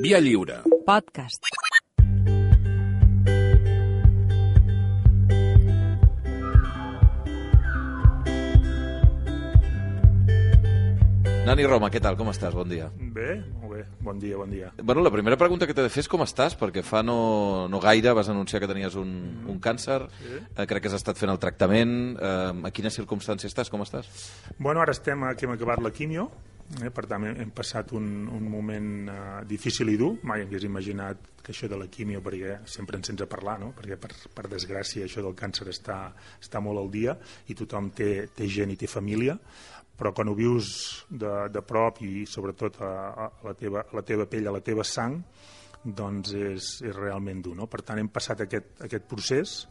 Via Lliure. Podcast. Nani Roma, què tal? Com estàs? Bon dia. Bé, molt bé. Bon dia, bon dia. Bueno, la primera pregunta que t'he de fer és com estàs, perquè fa no gaire vas anunciar que tenies un càncer, Sí. Crec que has estat fent el tractament, a quines circumstàncies estàs? Com estàs? Bueno, ara que hem acabat la quimio, per tant hem passat un moment difícil i dur. Mai hagués imaginat que això de la quimio, perquè sempre ens sents a parlar, no? Perquè per desgràcia això del càncer està molt al dia i tothom té gent i té família, però quan ho vius de prop i sobretot a la teva pell, a la teva sang, doncs és realment dur, no? Per tant, hem passat aquest procés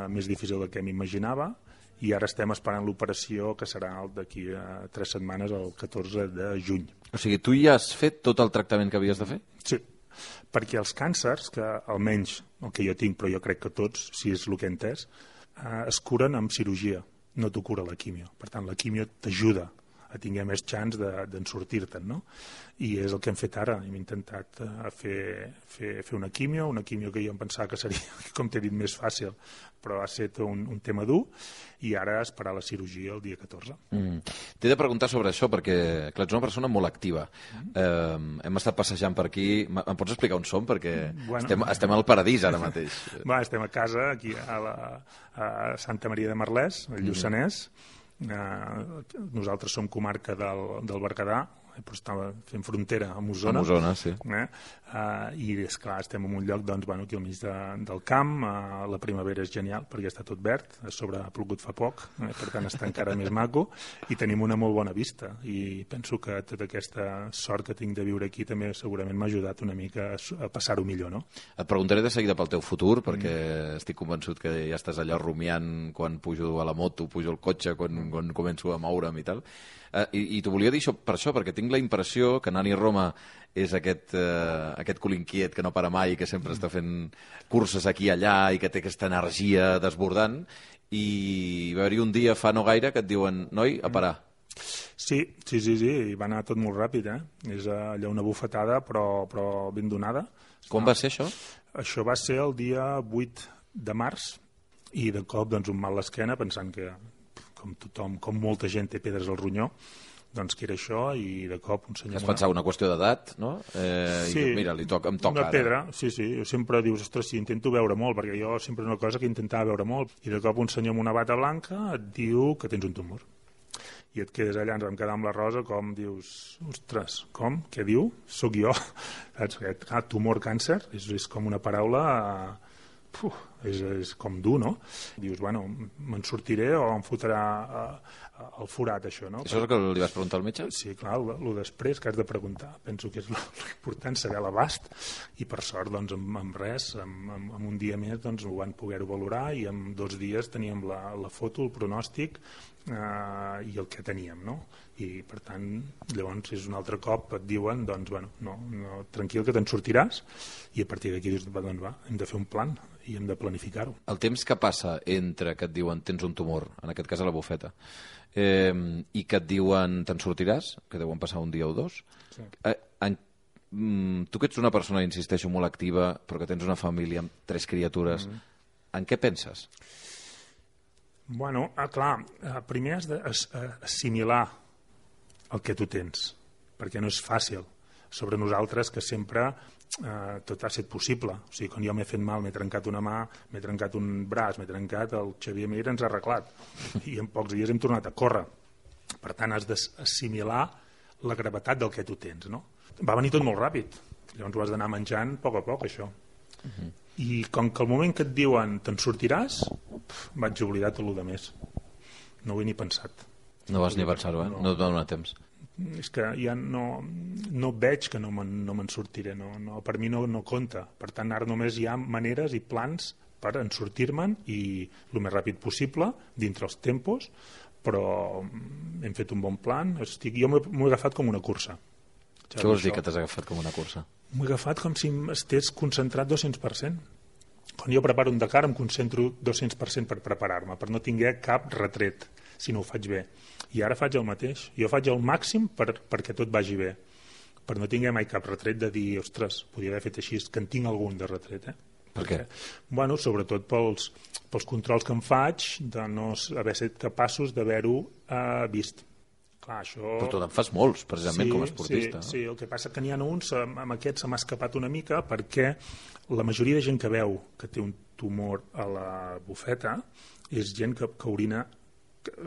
més difícil del que m'imaginava i ara estem esperant l'operació que serà d'aquí a 3 setmanes, el 14 de juny. O sigui, tu ja has fet tot el tractament que havies de fer? Sí, perquè els càncers, que almenys el que jo tinc, però jo crec que tots, si és el que he entès, es curen amb cirurgia. No t'ho cura la quimio. Per tant, la quimio t'ajuda a tinguer més xans d'en sortir-te'n, no? I és el que hem fet ara. Hem intentat fer una quimio que jo em pensava que seria, com t'he dit, més fàcil, però ha estat un tema dur, i ara esperar la cirurgia el dia 14. T'he de preguntar sobre això, perquè, clar, ets una persona molt activa. Hem estat passejant per aquí. Em pots explicar on som? Perquè estem al paradís ara mateix. Estem a casa, aquí a Santa Maria de Merlès, al Lluçanès. Nosaltres som comarca del Berguedà, però estava fent frontera amb Osona. Amb Osona, sí. I, esclar, estem en un lloc aquí al mig del camp. La primavera és genial, perquè està tot verd. A sobre ha plogut fa poc, per tant està encara més maco. I tenim una molt bona vista. I penso que tota aquesta sort que tinc de viure aquí també segurament m'ha ajudat una mica a passar-ho millor, no? Et preguntaré de seguida pel teu futur, perquè estic convençut que ja estàs allà rumiant quan pujo a la moto, pujo al cotxe, quan començo a moure'm i tal. I t'ho volia dir per això, perquè tinc la impressió que Nani Roma és aquest cul inquiet que no para mai, que sempre està fent curses aquí i allà i que té aquesta energia desbordant, i va haver-hi un dia fa no gaire que et diuen, noi, a parar. Sí, i va anar tot molt ràpid, És allò una bufetada, però ben donada. Com va ser això? Això va ser el dia 8 de març, i de cop doncs, un mal a l'esquena, pensant que com tothom, com molta gent té pedres al ronyó, doncs que era això, i de cop un senyor... Has pensat una qüestió d'edat, no? Sí, i mira, em toca una ara. pedra, sí, jo sempre dius, ostres, sí, intento veure molt, perquè jo sempre una cosa que intentava veure molt, i de cop un senyor amb una bata blanca et diu que tens un tumor. I et quedes allà, ens vam quedar amb la Rosa, com dius, ostres, com? Què diu? Soc jo? Saps? Tumor, càncer, és com una paraula... és com dur, no? Dius, bueno, me'n sortiré o em fotrà el forat, això, no? Això és el que li vas preguntar al metge? Sí, clar, el després que has de preguntar. Penso que és l'important saber l'abast, i per sort, doncs, amb res, amb un dia més, doncs, ho van poder-ho valorar, i en 2 dies teníem la foto, el pronòstic i el que teníem, no? I, per tant, llavors, és un altre cop, et diuen, doncs, bueno, no, tranquil, que te'n sortiràs, i a partir d'aquí dius, doncs va, hem de fer un plan, i hem de planificar-ho. El temps que passa entre que et diuen tens un tumor, en aquest cas a la bufeta, i que et diuen te'n sortiràs, que deuen passar un dia o 2, sí. Tu que ets una persona, insisteixo, molt activa, però que tens una família amb 3 criatures, en què penses? Bueno, clar, primer has d'assimilar el que tu tens, perquè no és fàcil. Sobre nosaltres, que sempre tot ha estat possible. O sigui, quan jo m'he fet mal, m'he trencat una mà, m'he trencat un braç, m'he trencat, el Xavier Mir ens ha arreglat. I en pocs dies hem tornat a córrer. Per tant, has d'assimilar la gravetat del que tu tens, no? Va venir tot molt ràpid. Llavors ho has d'anar menjant a poc, això. I com que el moment que et diuen te'n sortiràs, vaig oblidar tot el de més. No ho he ni pensat. No vas ni pensar-ho, No et va donar temps. És que ja no veig que no me'n sortiré, per mi no compta. Per tant, ara només hi ha maneres i plans per en sortir-me'n, i el més ràpid possible, dintre els tempos, però hem fet un bon plan. Jo m'ho he agafat com una cursa. Què vols dir que t'has agafat com una cursa? M'ho he agafat com si estigués concentrat 200%. Quan jo preparo un Dakar em concentro 200% per preparar-me, per no tinguer cap retret, si no ho faig bé. I ara faig el mateix. Jo faig el màxim perquè tot vagi bé. però no tingué mai cap retret de dir, ostres, podria haver fet així, que en tinc algun de retret, Per què? Bueno, sobretot pels controls que em faig de no haver estat capaços d'haver-ho vist. Clar, això... Però tu te'n fas molts, precisament, com a esportista. Sí, el que passa que n'hi ha uns, amb aquests se m'ha escapat una mica, perquè la majoria de gent que veu que té un tumor a la bufeta és gent que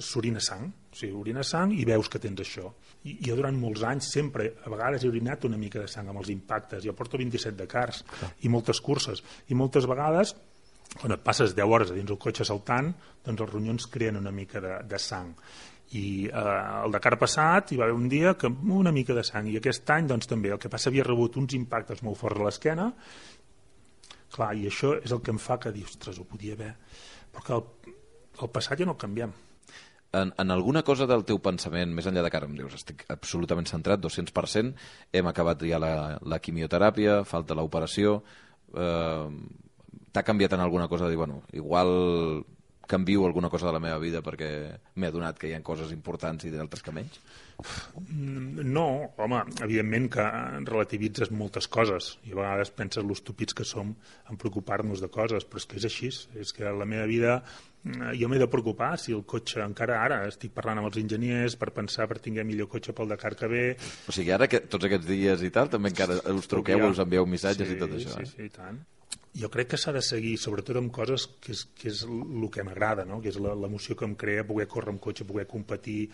s'orina sang, o sigui, orina sang i veus que tens això. I jo durant molts anys sempre, a vegades he orinat una mica de sang amb els impactes, jo porto 27 de cars i moltes curses, i moltes vegades quan et passes 10 hores a dins el cotxe saltant, doncs els ronyons creen una mica de sang. I el Dakar passat hi va haver un dia que una mica de sang, i aquest any doncs també, el que passa havia rebut uns impactes molt forts a l'esquena, clar, i això és el que em fa que dir, ostres, ho podia haver, però que el passat ja no el canviem. En alguna cosa del teu pensament, més enllà de cara, em dius, estic absolutament centrat, 200%, hem acabat ja la quimioteràpia, falta l'operació, t'ha canviat en alguna cosa de dir, bueno, igual canvio alguna cosa de la meva vida perquè m'he adonat que hi ha coses importants i d'altres que menys? No, home, evidentment que relativitzes moltes coses i a vegades penses l'estúpids que som en preocupar-nos de coses, però és que és així, és que la meva vida jo m'he de preocupar si el cotxe, encara ara estic parlant amb els enginyers per pensar per tinguer millor cotxe pel Dakar que ve. O sigui, ara que tots aquests dies i tal, també encara us truqueu, us envieu missatges i tot això. Sí, i tant. Jo crec que s'ha de seguir, sobretot amb coses que és el que m'agrada, no? Que és l'emoció que em crea poder córrer amb cotxe, poder competir,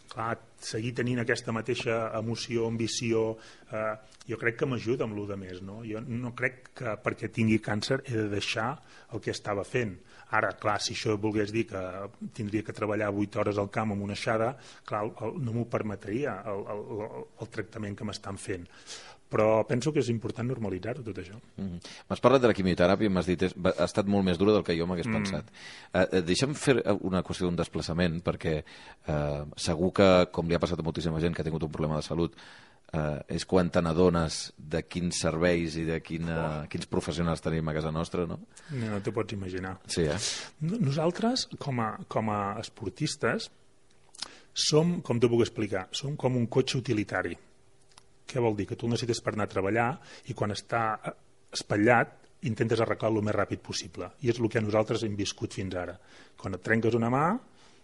clar, seguir tenint aquesta mateixa emoció, ambició, jo crec que m'ajuda amb el més, no? Jo no crec que perquè tingui càncer he de deixar el que estava fent. Ara, clar, si això volgués dir que tindria que treballar 8 hores al camp amb una aixada, clar, no m'ho permetria el tractament que m'estan fent. Però penso que és important normalitzar-ho, tot això. M'has parlat de la quimioteràpia i m'has dit ha estat molt més dura del que jo m'hagués pensat. Deixa'm fer una qüestió d'un desplaçament, perquè segur que, com li ha passat a moltíssima gent que ha tingut un problema de salut, és quan te n'adones de quins serveis i de quins professionals tenim a casa nostra, no? No t'ho pots imaginar. Sí, Nosaltres, com a esportistes, som, com t'ho puc explicar, som com un cotxe utilitari. Què vol dir? Que tu el necessites per anar a treballar i quan està espatllat intentes arreglar-lo el més ràpid possible. I és el que nosaltres hem viscut fins ara. Quan et trenques una mà,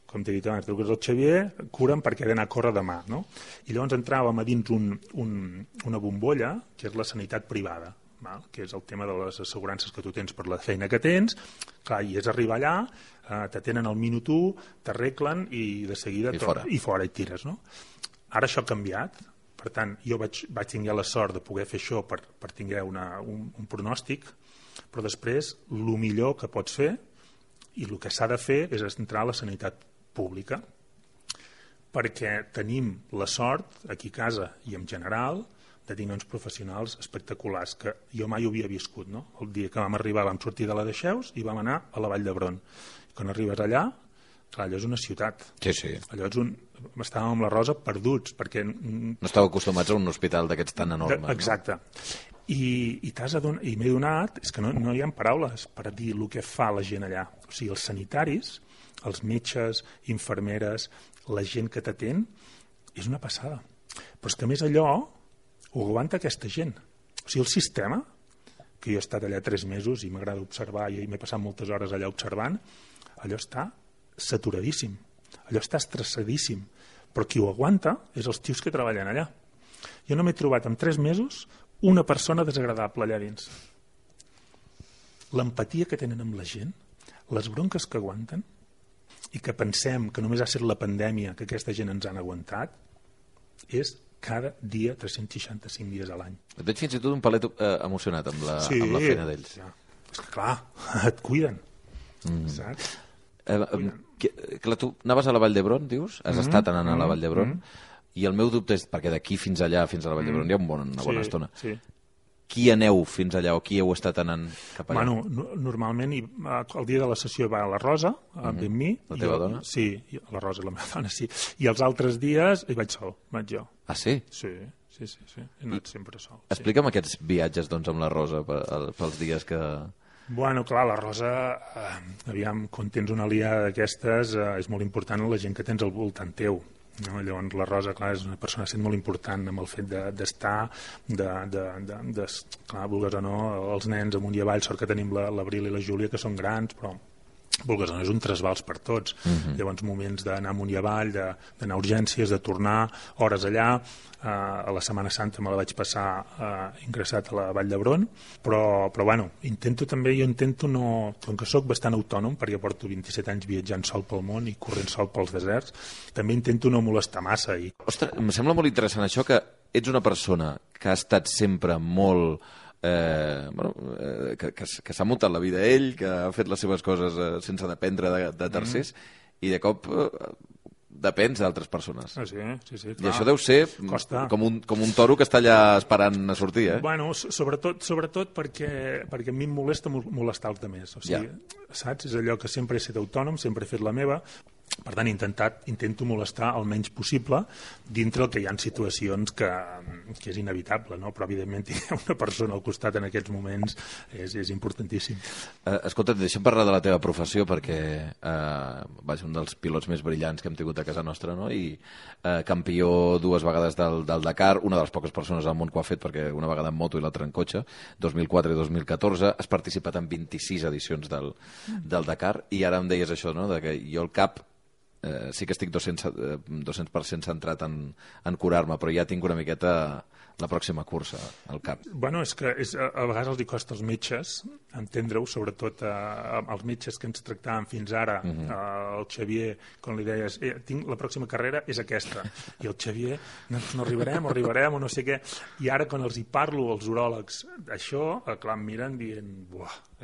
com t'he dit abans, truques al Xavier, cura'm perquè he d'anar a córrer demà. No? I llavors entràvem a dins una bombolla, que és la sanitat privada, que és el tema de les assegurances que tu tens per la feina que tens. Clar, i és arribar allà, t'atenen al minut 1, t'arreglen i de seguida i fora i tires. No? Ara això ha canviat. Per tant, jo vaig tenir la sort de poder fer això per tenir un pronòstic, però després el millor que pots fer i el que s'ha de fer és entrar a la sanitat pública, perquè tenim la sort, aquí a casa i en general, de tenir uns professionals espectaculars que jo mai ho havia viscut. No? El dia que vam arribar vam sortir de la Dexeus i vam anar a la Vall d'Hebron. Quan arribes allà, clar, allò és una ciutat. Sí. Allò és estàvem amb la Rosa perduts, perquè... No estàveu acostumats a un hospital d'aquests tan enormes. Exacte. No? I m'he donat, és que no hi ha paraules per dir el que fa la gent allà. O sigui, els sanitaris, els metges, infermeres, la gent que t'atén, és una passada. Però és que a més allò ho aguanta aquesta gent. O sigui, el sistema, que jo he estat allà 3 mesos i m'agrada observar i m'he passat moltes hores allà observant, allò està saturadíssim, allò està estressadíssim, però qui ho aguanta és els tios que treballen allà. Jo no m'he trobat en 3 mesos una persona desagradable allà dins. L'empatia que tenen amb la gent, les bronques que aguanten i que pensem que només ha estat la pandèmia que aquesta gent ens han aguantat, és cada dia 365 dies a l'any. Et veig fins i tot un palet emocionat amb la feina d'ells. Ja. És que clar, et cuiden, saps? Clar, tu anaves a la Vall d'Hebron, dius? Has estat anant a la Vall d'Hebron, i el meu dubte és, perquè d'aquí fins allà, fins a la Vall d'Hebron, hi ha una bona estona. Sí. Qui aneu fins allà o qui heu estat anant cap allà? Bueno, normalment el dia de la sessió va a la Rosa, amb mi. La teva dona? Sí, la Rosa és la meva dona, sí. I els altres dies hi vaig sol, vaig jo. Ah, sí? Sí. He anat sempre sol. Explica'm aquests viatges doncs, amb la Rosa pels dies que... Bueno, clar, la Rosa, aviam, quan tens una aliada d'aquestes, és molt important la gent que tens al voltant teu. No? Llavors la Rosa, clar, és una persona sent molt important amb el fet d'estar, clar, vulgues o no, els nens amunt i avall, sort que tenim l'Abril i la Júlia, que són grans, però vulgues o no, és un trasbals per tots. Llavors moments d'anar amunt i avall, d'anar a urgències, de tornar hores allà. A la Setmana Santa me la vaig passar ingressat a la Vall d'Hebron, però bueno, jo intento no, com que sóc bastant autònom, perquè porto 27 anys viatjant sol pel món i corrent sol pels deserts, també intento no molestar massa. Ostres, em sembla molt interessant això, que ets una persona que ha estat sempre molt... que s'ha muntat la vida ell, que ha fet les seves coses sense dependre de tercers, i de cop depens d'altres persones. Sí, clar. I això deu ser com un toro que està allà esperant a sortir, eh? Bueno, sobretot perquè a mi em molesta molestar els altres. O sigui, saps? És allò que sempre he estat autònom, sempre he fet la meva. Per tant, intento molestar el menys possible dintre el que hi ha situacions que és inevitable, no? Però evidentment tenir una persona al costat en aquests moments és importantíssim. Escolta, deixa'm parlar de la teva professió, perquè vas ser un dels pilots més brillants que hem tingut a casa nostra, no? I campió 2 vegades del Dakar, una de les poques persones al món que ho ha fet, perquè una vegada en moto i l'altra en cotxe, 2004 i 2014, has participat en 26 edicions del Dakar, i ara em deies això, no? De que jo al cap sí que estic 200% centrat en curar-me, però ja tinc una miqueta la pròxima cursa al cap. Bueno, és que a vegades els costa als metges entendre-ho, sobretot als metges que ens tractàvem fins ara. El Xavier, quan li deies la pròxima carrera és aquesta, i el Xavier no arribarem o no sé què, i ara quan els hi parlo als uròlegs això, clar, em miren dient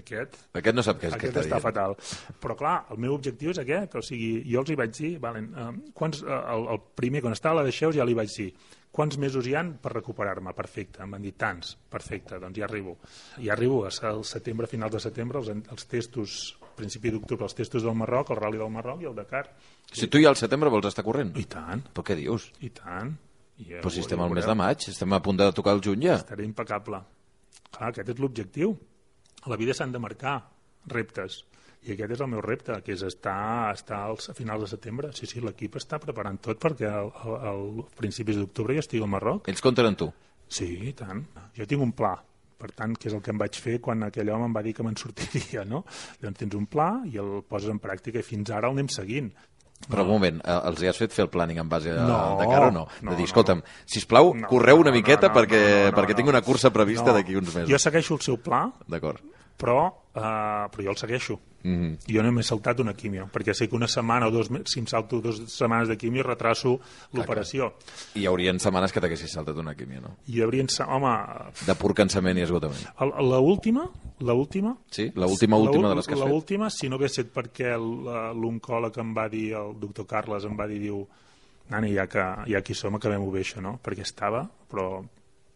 aquest no sap què és, aquest està fatal. Però clar, el meu objectiu és aquest, o sigui, jo els hi vaig dir, el primer, quan estava a la Deixeus, ja li vaig dir quants mesos hi han per recuperar-me? Perfecte, em van dir tants, perfecte, doncs ja arribo al setembre, finals de setembre, els testos, principi d'octubre, els testos del Marroc, el Rally del Marroc i el Dakar. Si tu ja al setembre vols estar corrent? I tant. Però què dius? I tant. Però si estem al mes de maig, estem a punt de tocar el juny ja. Estaré impecable. Clar, aquest és l'objectiu. A la vida s'han de marcar reptes. I aquest és el meu repte, que és estar a finals de setembre. Sí, l'equip està preparant tot perquè al principis d'octubre ja estigui al Marroc. Ells compten amb tu? Sí, i tant. Jo tinc un pla, per tant, que és el que em vaig fer quan aquell home em va dir que me'n sortiria, no? Llavors tens un pla i el poses en pràctica i fins ara el anem seguint. Però un moment, els has fet fer el planning en base al Dakar o no? De dir, escolta'm, sisplau, correu una miqueta perquè tinc una cursa prevista d'aquí uns mesos. Jo segueixo el seu pla, però jo el segueixo. Jo no m'he saltat una quimio, perquè sé que una setmana o 2 mesos, si em salto 2 setmanes de quimio, retraso l'operació. I hi haurien setmanes que t'haguessis saltat una quimio, no? Hi haurien, home... De pur cansament i esgotament. L'última... Sí, l'última de les que has fet. L'última, si no hagués set perquè l'oncòleg em va dir, el doctor Carles em va dir, diu, nani, ja que aquí som, acabem-ho bé, això, no? Perquè però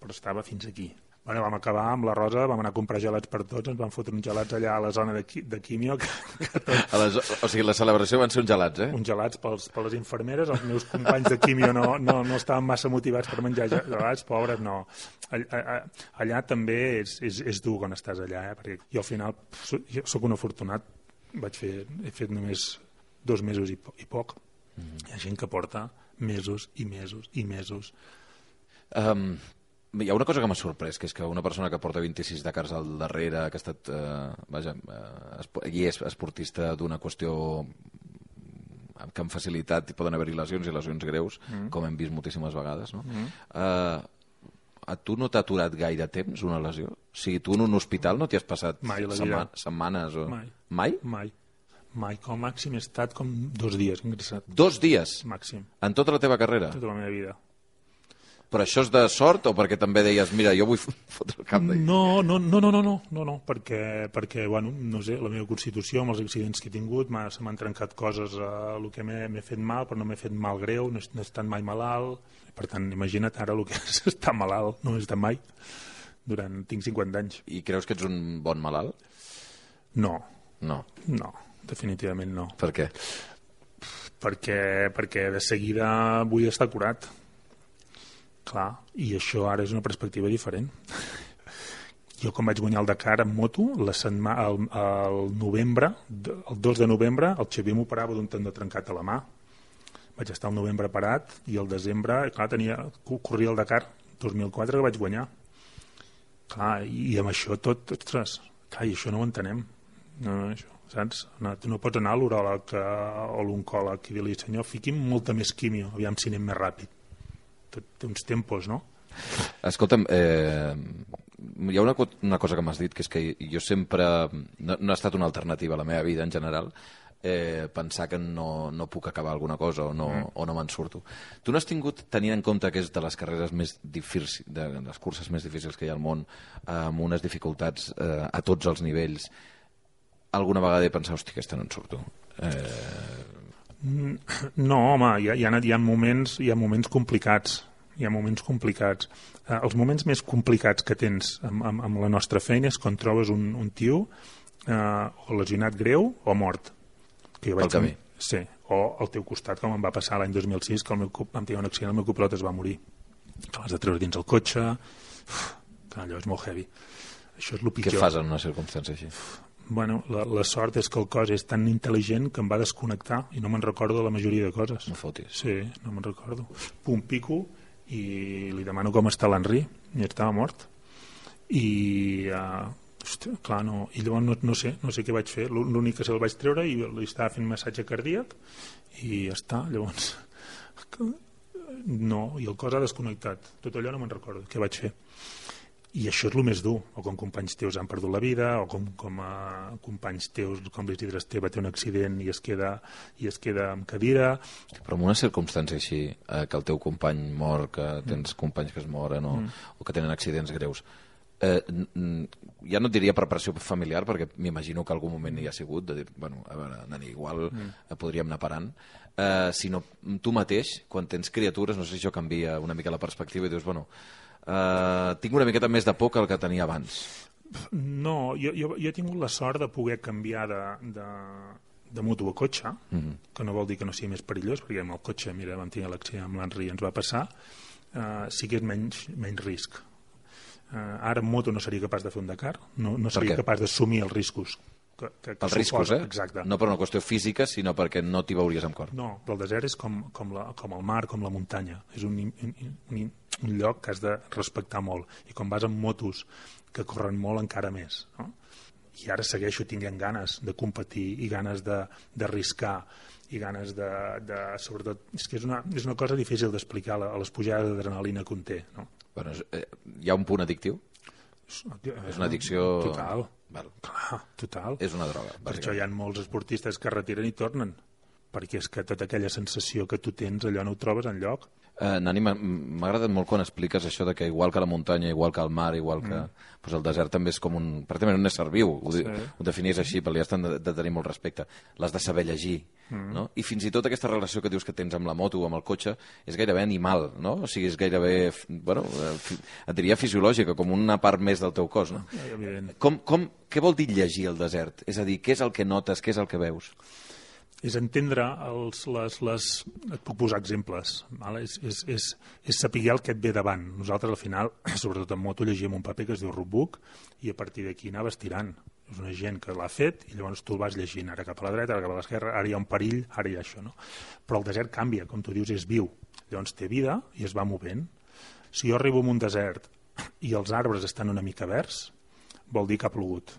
estava fins aquí. Bueno, vam acabar amb la Rosa, vam anar a comprar gelats per tots, ens van fotre uns gelats allà a la zona de quimio. O sigui, la celebració van ser uns gelats, eh? Uns gelats per les infermeres, els meus companys de quimio no estaven massa motivats per menjar gelats, pobres, no. Allà també és dur quan estàs allà, perquè jo al final sóc un afortunat, he fet només 2 mesos i poc. Hi ha gent que porta mesos i mesos i mesos. Hi ha una cosa que m'ha sorprès, que és que una persona que porta 26 Dakars al darrere, que ha estat i és esportista d'una qüestió que amb facilitat poden haver-hi lesions i lesions greus, com hem vist moltíssimes vegades, no? A tu no t'ha aturat gaire temps una lesió? O sigui, tu en un hospital no t'hi has passat setmanes? Mai? Mai, com a màxim he estat com 2 dies ingressat. 2 dies? Màxim. En tota la teva carrera? Tota la meva vida. Però això és de sort o perquè també deies, mira, jo vull fotre el cap d'aquí? No, perquè, bueno, no sé, la meva constitució, amb els accidents que he tingut, se m'han trencat coses a el que m'he fet mal, però no m'he fet mal greu, no he estat mai malalt. Per tant, imagina't ara el que és estar malalt, no he estat mai, tinc 50 anys. I creus que ets un bon malalt? No, No. definitivament no. Per què? Perquè de seguida vull estar curat. Clar, i això ara és una perspectiva diferent. Jo quan vaig guanyar el Dakar en moto, el 2 de novembre, el Xavier m'operava d'un tendó trencat a la mà. vaig estar al novembre parat i al desembre, clar, corria el Dakar 2004 que vaig guanyar. Clar, i amb això tot, ostres, clar, i això no ho entenem. No, això, saps? No, tu no pots anar a l'uròleg o l'oncòleg i dir-li, senyor, fiqui'm molta més quimio, aviam si anem més ràpid. Tot té uns tempos, no? Escolta'm, hi ha una cosa que m'has dit, que és que jo sempre... No ha estat una alternativa a la meva vida en general, pensar que no puc acabar alguna cosa o no me'n surto. Tu no has tingut, tenint en compte que és de les carreres més difícils, de les curses més difícils que hi ha al món, amb unes dificultats a tots els nivells, alguna vegada he pensat, hosti, aquesta no en surto? No, home, hi ha moments complicats. Hi ha moments complicats. Els moments més complicats que tens amb la nostra feina és quan trobes un tio o lesionat greu o mort. Pel camí. Sí, o al teu costat, com em va passar l'any 2006, que vam tenir un accident, el meu copilot es va morir. Que l'has de treure dins el cotxe... que allò és molt heavy. Això és el pitjor. Què fas en una circumstància així? Bueno, la sort és que el cos és tan intel·ligent que em va desconnectar i no me'n recordo de la majoria de coses. No fotis. Sí, no me'n recordo. Pum, pico, i li demano com està l'Henri, i estava mort. I... hòstia, clar, no. I llavors no sé què vaig fer. L'únic que se'l vaig treure i li estava fent massatge cardíac i ja està. Llavors, no, i el cos ha desconnectat. Tot allò no me'n recordo què vaig fer. I això és el més dur, o com companys teus han perdut la vida, o com companys teus, com l'Isidre Esteve té un accident i es queda amb cadira. Però en una circumstància així, que el teu company mor, que tens companys que es moren o que tenen accidents greus, ja no et diria preparació familiar, perquè m'imagino que algun moment hi ha sigut de dir, bueno, a veure, Dani, igual podríem anar parant, sinó tu mateix, quan tens criatures, no sé si això canvia una mica la perspectiva i dius, bueno, tinc una miqueta més de por que el que tenia abans. No, jo he tingut la sort de poder canviar de moto a cotxe, que no vol dir que no sigui més perillós, perquè amb el cotxe, mira, vam tenir l'accident amb l'Henri, ens va passar, sí que és menys risc. Ara en moto no seria capaç de fer un Dakar, no seria capaç d'assumir els riscos que els riscos, exacte. No per una qüestió física, sinó perquè no t'hi veuries amb cor. No, però el desert és com el mar, com la muntanya. És un lloc que has de respectar molt. I quan vas amb motos que corren molt, encara més. No? I ara segueixo tinguent ganes de competir i ganes d'arriscar i ganes sobretot... És que és una cosa difícil d'explicar a les pujades d'adrenalina que conté. No? Bueno, hi ha un punt addictiu? És una addicció... Total. Clar, total. És una droga. Per això hi ha molts esportistes que retiren i tornen, perquè és que tota aquella sensació que tu tens, allò no ho trobes enlloc. Nani, m'ha agradat molt quan expliques això de que igual que la muntanya, igual que el mar, igual que doncs el desert també és com pràcticament un ésser viu, ho definies així, però li has de tenir molt respecte. L'has de saber llegir, no? I fins i tot aquesta relació que dius que tens amb la moto o amb el cotxe és gairebé animal, no? O sigui, és gairebé, bueno, et diria fisiològica, com una part més del teu cos, no? Què vol dir llegir el desert? És a dir, què és el que notes, què és el que veus? És entendre et puc posar exemples, és saber el que et ve davant. Nosaltres al final, sobretot en moto, llegim un paper que es diu rootbook i a partir d'aquí anaves tirant. És una gent que l'ha fet i llavors tu el vas llegint, ara cap a la dreta, ara cap a l'esquerra, ara hi ha un perill, ara hi ha això. No? Però el desert canvia, com tu dius, és viu. Llavors té vida i es va movent. Si jo arribo a un desert i els arbres estan una mica verds, vol dir que ha plogut.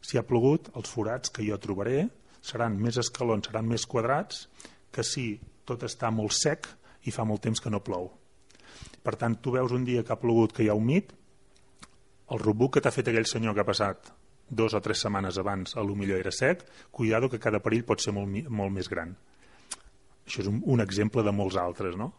Si ha plogut, els forats que jo trobaré seran més escalons, seran més quadrats que si tot està molt sec i fa molt temps que no plou. Per tant, tu veus un dia que ha plogut, que hi ha humit, el rootbook que t'ha fet aquell senyor que ha passat 2 o 3 setmanes abans, a lo millor era sec, cuidado que cada perill pot ser molt més gran. Això és un exemple de molts altres, no?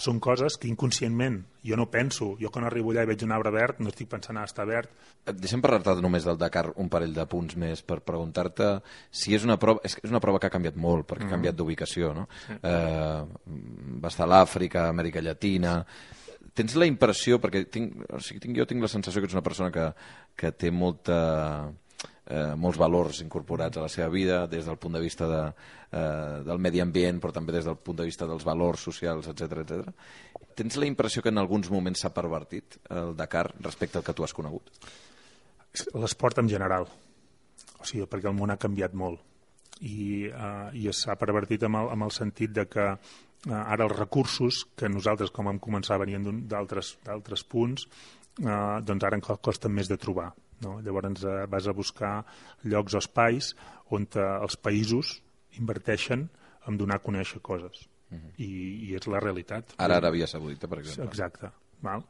Són coses que inconscientment jo no penso. Jo quan arribo allà i veig un arbre verd no estic pensant està verd. Deixa'm parlar-te només del Dakar un parell de punts més per preguntar-te si és una prova... És una prova que ha canviat molt perquè ha canviat d'ubicació, no? Sí. Va estar a l'Àfrica, Amèrica Llatina... Tens la impressió, perquè jo tinc la sensació que ets una persona que té molts valors incorporats a la seva vida des del punt de vista del medi ambient, però també des del punt de vista dels valors socials, etc. Tens la impressió que en alguns moments s'ha pervertit el Dakar respecte al que tu has conegut? L'esport en general, o sigui, perquè el món ha canviat molt i s'ha pervertit amb el sentit de que ara els recursos que nosaltres, com vam començar, venien d'altres punts, doncs ara costen més de trobar. No? Llavors vas a buscar llocs o espais on els països inverteixen en donar a conèixer coses. I és la realitat. Ara Aràbia Saudita, per exemple. Exacte. Val?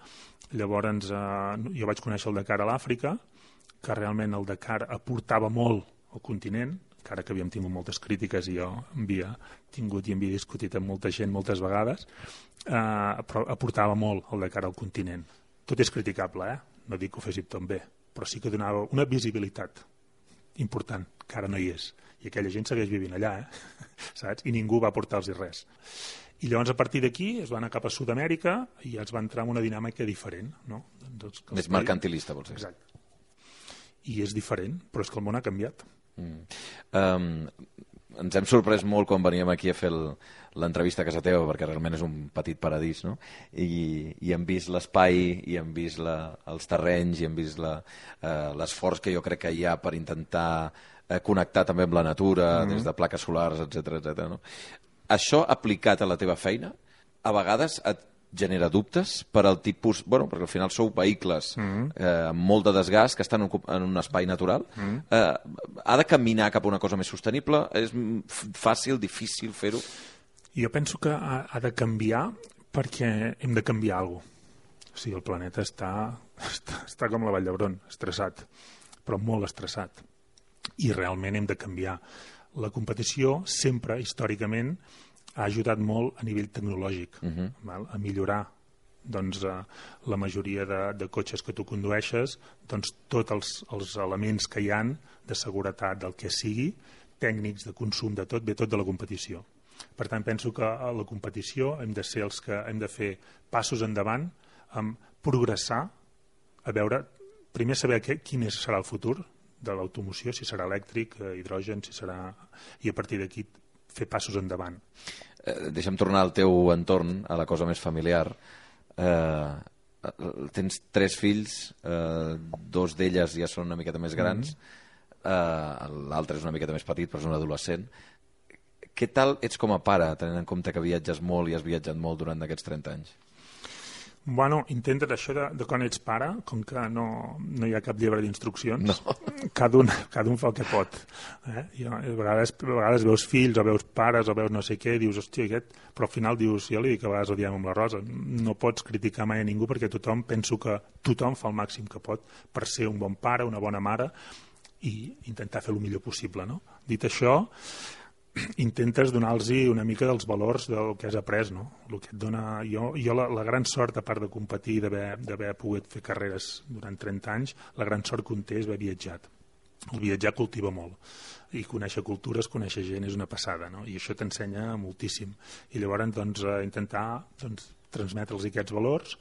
Llavors jo vaig conèixer el Dakar a l'Àfrica, que realment el Dakar aportava molt al continent, encara que havíem tingut moltes crítiques i jo havia tingut i havia discutit amb molta gent moltes vegades, però aportava molt el Dakar al continent. Tot és criticable, no dic que ho féssim tot bé, però sí que donava una visibilitat important, que ara no hi és. I aquella gent segueix vivint allà, saps? I ningú va aportar-los res. I llavors, a partir d'aquí, es va anar cap a Sud-amèrica i ja es va entrar en una dinàmica diferent. No? Més mercantilista, vols dir. Exacte. I és diferent, però és que el món ha canviat. Ens hem sorprès molt quan veníem aquí a fer l'entrevista a casa teva, perquè realment és un petit paradís, no? I hem vist l'espai, i hem vist els terrenys, i hem vist l'esforç que jo crec que hi ha per intentar connectar també amb la natura, des de plaques solars, etc. No? Això aplicat a la teva feina, a vegades et genera dubtes per al tipus... perquè al final sou vehicles amb molt de desgast que estan en un espai natural. Ha de caminar cap a una cosa més sostenible? És fàcil, difícil fer-ho? Jo penso que ha de canviar perquè hem de canviar alguna cosa. O sigui, el planeta està com la Vall d'Hebron, estressat, però molt estressat. I realment hem de canviar. La competició sempre, històricament, ha ajudat molt a nivell tecnològic, a millorar la majoria de cotxes que tu condueixes, tots els elements que hi han de seguretat del que sigui, tècnics, de consum, de tot, ve tot de la competició. Per tant, penso que a la competició hem de ser els que hem de fer passos endavant, progressar, a veure, primer saber quin serà el futur de l'automoció, si serà elèctric, hidrogen, si serà... i a partir d'aquí fer passos endavant. Deixa'm tornar al teu entorn, a la cosa més familiar. Tens 3 fills, 2 d'elles ja són una miqueta més grans, l'altre és una miqueta més petit, però és un adolescent. Què tal ets com a pare, tenint en compte que viatges molt i has viatjat molt durant aquests 30 anys? Bueno, intenta't això de quan ets pare, com que no hi ha cap llibre d'instruccions, no. Cada un fa el que pot. A vegades veus fills o veus pares o veus no sé què, dius, hòstia, aquest... Però al final dius, jo li dic a vegades ho diem amb la Rosa, no pots criticar mai a ningú perquè penso que tothom fa el màxim que pot per ser un bon pare, una bona mare i intentar fer el millor possible. No? Dit això, intentes donar-los una mica dels valors del que has après, no? El que et dona... Jo la gran sort, a part de competir i d'haver pogut fer carreres durant 30 anys, la gran sort que un té és haver viatjat. El viatjar cultiva molt. I conèixer cultures, conèixer gent és una passada, no? I això t'ensenya moltíssim. I llavors intentar transmetre'ls aquests valors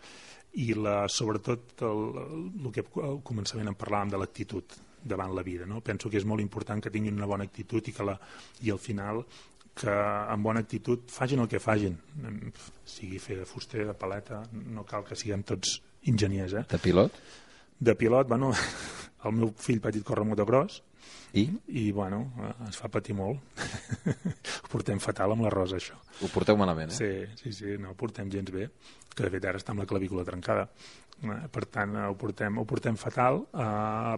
i sobretot el que al començament en parlàvem de l'actitud davant la vida. No? Penso que és molt important que tinguin una bona actitud i al final que amb bona actitud facin el que facin. Sigui fer de fuster, de paleta, no cal que siguem tots enginyers. De pilot? De pilot, bueno, el meu fill petit corre motocross i bueno, ens fa patir molt. Ho portem fatal amb la Rosa, això. Ho porteu malament, Sí, no ho portem gens bé, que de fet ara està amb la clavícula trencada. Per tant, ho portem fatal,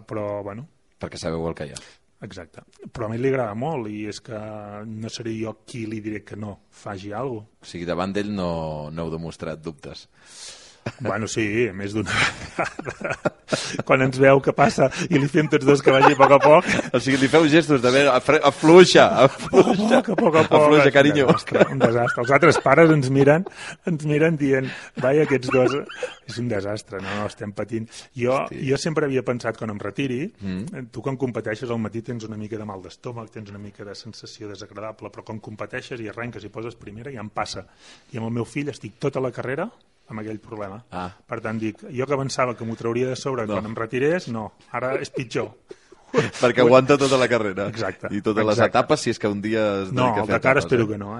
però bueno... Perquè sabeu el que hi ha. Exacte. Però a mi li agrada molt i és que no seré jo qui li diré que no faci alguna cosa. O sigui, davant d'ell no heu demostrat dubtes. Bueno, sí, més d'una vegada. Quan ens veu que passa i li fem tots dos que vagi a poc a poc. O sigui, li feu gestos de afluixa. A poc a poc. Afluixa, carinyo. Un desastre. Els altres pares ens miren dient, vai, aquests dos... És un desastre, no? Estem patint. Jo sempre havia pensat, quan em retiri, tu quan competeixes al matí tens una mica de mal d'estómac, tens una mica de sensació desagradable, però quan competeixes i arrenques i poses primera ja em passa. I amb el meu fill estic tota la carrera amb aquell problema. Per tant, dic, jo que pensava que m'ho trauria de sobre quan em retirés, no, ara és pitjor. Perquè aguanta tota la carrera. Exacte. I totes les etapes, si és que un dia es dedica a fer etapes. No, el Dakar espero que no,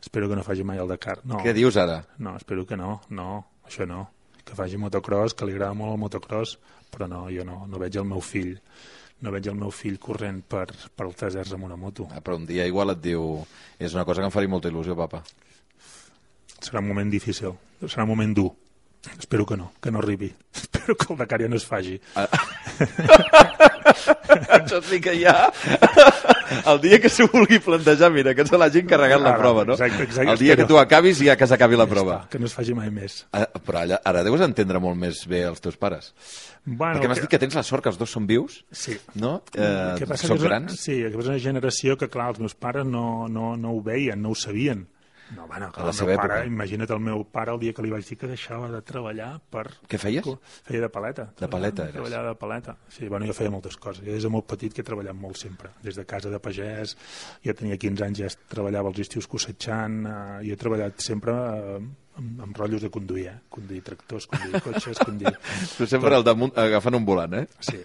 Espero que no faci mai el Dakar. No. Què dius ara? No, espero que no, això no. Que faci motocross, que li agrada molt el motocross, però no, jo no veig el meu fill. No veig el meu fill corrent per els deserts amb una moto. Però un dia igual et diu, és una cosa que em faria molta il·lusió, papa. Serà un moment difícil, serà un moment dur. Espero que no arribi. Espero que el Dakar ja no es faci. Això sí que ja... El dia que s'ho vulgui plantejar, mira, que se l'hagi encarregat la prova, no? Exacte, el dia que tu acabis ja que s'acabi la prova. Que no es faci mai més. Però ara deus entendre molt més bé els teus pares. Bueno, perquè m'has dit que tens la sort que els dos són vius, sí. No? Són grans. Sí, que és una generació que, clar, els meus pares no ho veien, no ho sabien. No, bueno, clar, el meu pare, imagina't el meu pare el dia que li vaig dir que deixava de treballar per... Què feies? Feia de paleta. De paleta, eres? Treballava de paleta. Sí, bueno, jo feia moltes coses. Jo des de molt petit que he treballat molt sempre. Des de casa de pagès, jo tenia 15 anys, ja treballava els estius cosetxant, jo he treballat sempre amb rotllos de conduir, conduir tractors, conduir cotxes, conduir... Tu sempre al damunt agafant un volant, eh? Sí.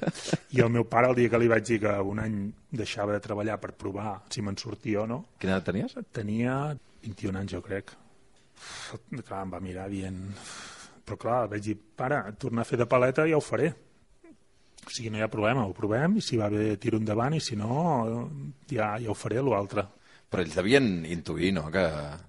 I el meu pare, el dia que li vaig dir que un any deixava de treballar per provar si me'n sortia o no... Quina edat tenies? Tenia 21 anys, jo crec. Clar, em va mirar dient... Però clar, vaig dir, pare, tornar a fer de paleta ja ho faré. O sigui, no hi ha problema, ho provem, i si va bé tiro endavant, i si no, ja ho faré, l'altre. Però ells devien intuir, no?, que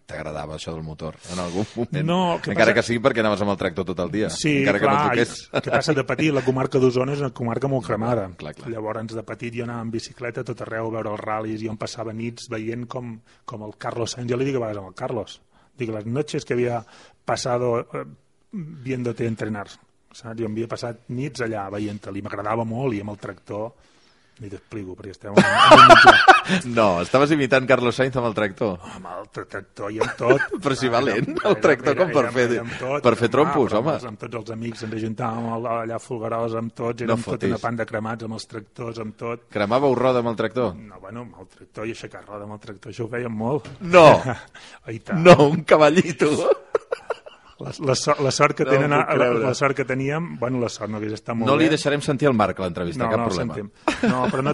t'agradava això del motor en algun moment. No, encara que sigui perquè anaves amb el tractor tot el dia. Sí, encara clar, que no toqués. Què passa de petit? La comarca d'Osona és una comarca molt cremada. Clar. Llavors, de petit jo anava en bicicleta tot arreu a veure els ral·lis, i on passava nits veient com el Carlos Sainz, jo li dic a vegades al Carlos, dic, les noches que havia passado viéndote entrenar, saps? Jo havia passat nits allà veient-te-li, m'agradava molt, i amb el tractor... Ni t'explico, perquè estem en un mitjà. No, estaves imitant Carlos Sainz amb el tractor. Amb el tractor i amb tot. Però si va lent, el tractor com per fer trompos, home. Amb tots els amics ens ajuntàvem allà a Folgueroles amb tots, érem tota una panda cremats amb els tractors, amb tot. Cremàveu roda amb el tractor? No, bueno, amb el tractor i aixecar roda amb el tractor, això ho fèiem molt. No! No, un cavallito! La sort que tenen, la sort que teníem, bueno, la sort no hagués estat molt bé. No li deixarem sentir el Marc a l'entrevista, cap problema. No, però no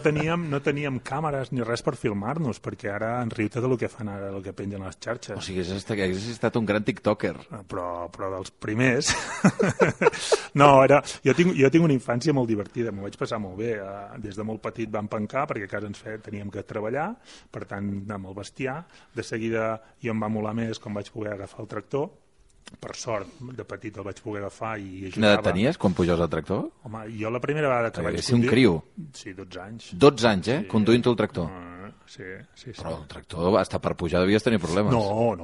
teníem càmeres ni res per filmar-nos, perquè ara en riu tot el que fan ara, el que pengen les xarxes. O sigui, hagués estat un gran tiktoker. Però dels primers... No, jo tinc una infància molt divertida, m'ho vaig passar molt bé. Des de molt petit vam pencar, perquè a casa teníem que treballar, per tant, amb el bestiar. De seguida jo em va molar més quan vaig poder agafar el tractor. Per sort, de petit el vaig poder agafar i ajudava. Quina edat tenies quan pujaves al tractor? Home, jo la primera vegada que vaig conduir... un criu. Sí, 12 anys. 12 anys, eh? Sí. Conduint el tractor. Sí. Però el tractor, hasta per pujar devies tenir problemes. No.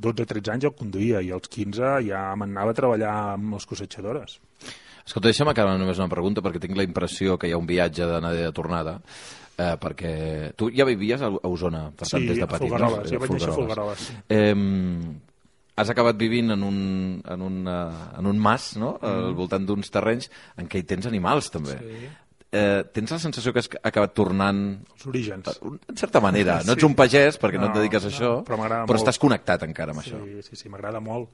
12-13 anys el conduïa i als 15 ja m'anava a treballar amb les cossetxadores. Escolta, deixa'm acabar només una pregunta, perquè tinc la impressió que hi ha un viatge d'anada i de tornada, perquè tu ja vivies a Osona, per tant, des de petit. Sí, a Folgueroles, jo vaig néixer a Folgueroles. Sí. Has acabat vivint en un mas, no?, al voltant d'uns terrenys en què hi tens animals, també. Sí. Tens la sensació que has acabat tornant... Els orígens. En certa manera. No ets un pagès, perquè no et dediques a això, però estàs connectat encara amb això. Sí, m'agrada molt.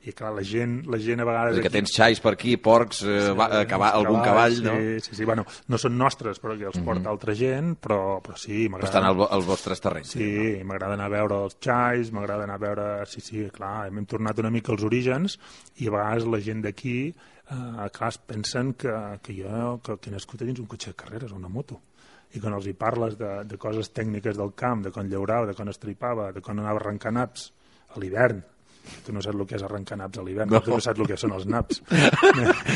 I clar, la gent a vegades... Que tens xais per aquí, porcs, algun cavall, no? Sí, bueno, no són nostres, però que els porta altra gent, però sí, m'agrada... Estan als vostres terrenys. Sí, m'agrada anar a veure els xais, m'agrada anar a veure... Sí, clar, hem tornat una mica als orígens, i a vegades la gent d'aquí... clar, pensen que he nascut dins un cotxe de carreres o una moto, i quan els hi parles de coses tècniques del camp, de quan llaurava, de quan estripava, de quan anava a arrencar naps a l'hivern. Tu no saps el que és arrencar naps a l'hivern, tu no saps el que són els naps.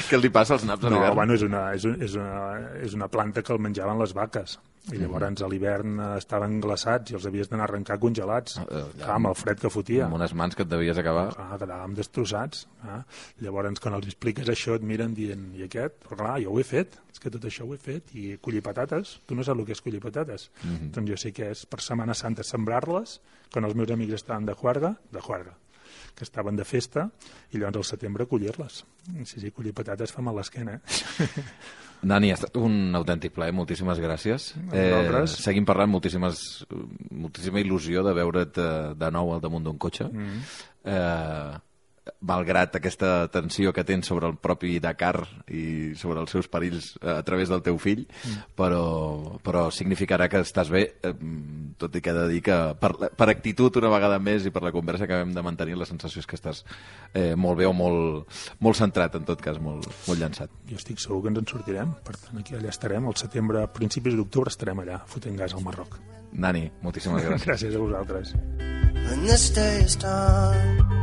Què li passa als naps a l'hivern? Bueno, és una planta que el menjaven les vaques, i llavors a l'hivern estaven glaçats i els havies d'anar a arrencar congelats, amb el fred que fotia. Amb unes mans que et devies acabar. Quedàvem destrossats. Llavors, quan els expliques això, et miren dient, i aquest? Però clar, jo ho he fet, és que tot això ho he fet, i collir patates, tu no saps el que és collir patates. Doncs jo sé que és per Setmana Santa sembrar-les, quan els meus amics estaven de juerga, que estaven de festa, i llavors al setembre collir-les. Sí, collir patates fa mal l'esquena, Dani, ha estat un autèntic plaer, moltíssimes gràcies. Seguim parlant, moltíssima il·lusió de veure't de nou al damunt d'un cotxe. Malgrat aquesta tensió que tens sobre el propi Dakar i sobre els seus perills a través del teu fill, però significarà que estàs bé, tot i que he de dir que per actitud una vegada més i per la conversa que acabem de mantenir, la sensació és que estàs molt bé o molt centrat, en tot cas, molt llançat. Jo estic segur que ens en sortirem, per tant aquí allà estarem, al setembre, a principis d'octubre estarem allà, fotent gas al Marroc. Dani, moltíssimes gràcies. Gràcies a vosaltres. When this day is done